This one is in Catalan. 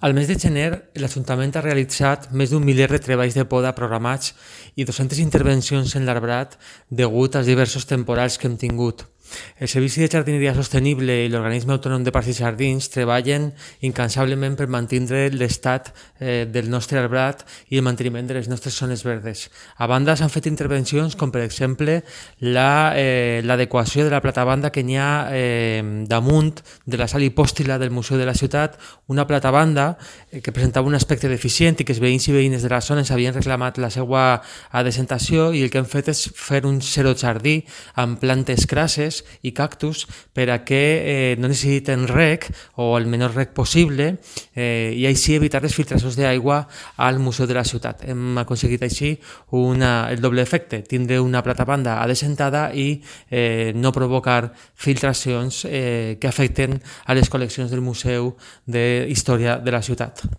Al mes de gener, l'Ajuntament ha realitzat més d'un miler de treballs de poda programats i 200 intervencions en l'arbrat degut als diversos temporals que hem tingut. El Servici de Jardineria Sostenible i l'Organisme Autònom de Parcs i Jardins treballen incansablement per mantenir l'estat del nostre arbrat i el manteniment de les nostres zones verdes. A banda, s'han fet intervencions com, per exemple, l'adequació de la platabanda que n'hi ha damunt de la sala hipòstila del Museu de la Ciutat, una platabanda que presentava un aspecte deficient i que els veïns i veïnes de la zona ens havien reclamat la seva adecentació, i el que hem fet és fer un xerojardí amb plantes crasses i cactus per a que no necessiten reg o el menor reg possible i així evitar les filtracions d'aigua al Museu de la Ciutat. Hem aconseguit així el doble efecte, tindre una platabanda adecentada i no provocar filtracions que afecten a les col·leccions del Museu d'Història de la Ciutat.